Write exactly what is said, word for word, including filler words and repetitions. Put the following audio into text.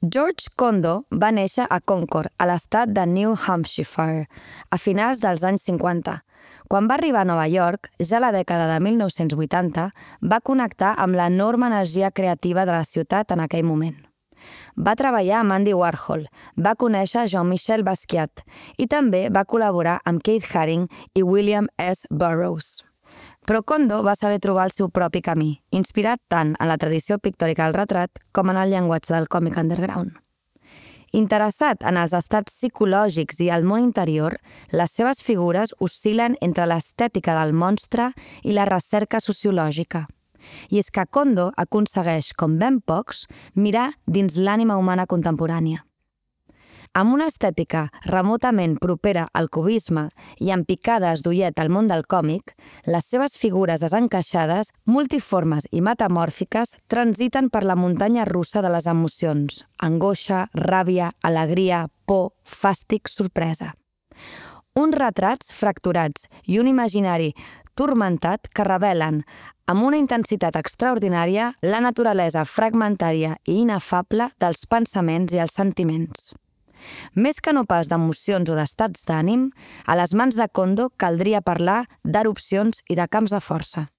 George Condo va néixer a Concord, a l'estat de New Hampshire, a finals dels anys cinquanta. Quan va arribar a Nova York, ja a la dècada de mil nou-cents vuitanta, va connectar amb l'enorme energia creativa de la ciutat en aquell moment. Va treballar amb Andy Warhol, va conèixer Jean-Michel Basquiat i també va col·laborar amb Keith Haring i William S. Burroughs. Però Condo va saber trobar el seu propi camí, inspirat tant en la tradició pictòrica del retrat com en el llenguatge del còmic underground. Interessat en els estats psicològics i el món interior, les seves figures oscil·len entre l'estètica del monstre i la recerca sociològica. I és que Condo aconsegueix, com ben pocs, mirar dins l'ànima humana contemporània. Amb una estètica remotament propera al cubisme i amb picades d'ullet al món del còmic, les seves figures desencaixades, multiformes i metamòrfiques transiten per la muntanya russa de les emocions: angoixa, ràbia, alegria, por, fàstic, sorpresa. Uns retrats fracturats i un imaginari turmentat que revelen, amb una intensitat extraordinària, la naturalesa fragmentària i inefable dels pensaments i els sentiments. Més que no pas d'emocions o d'estats d'ànim, a les mans de Condo caldria parlar d'erupcions i de camps de força.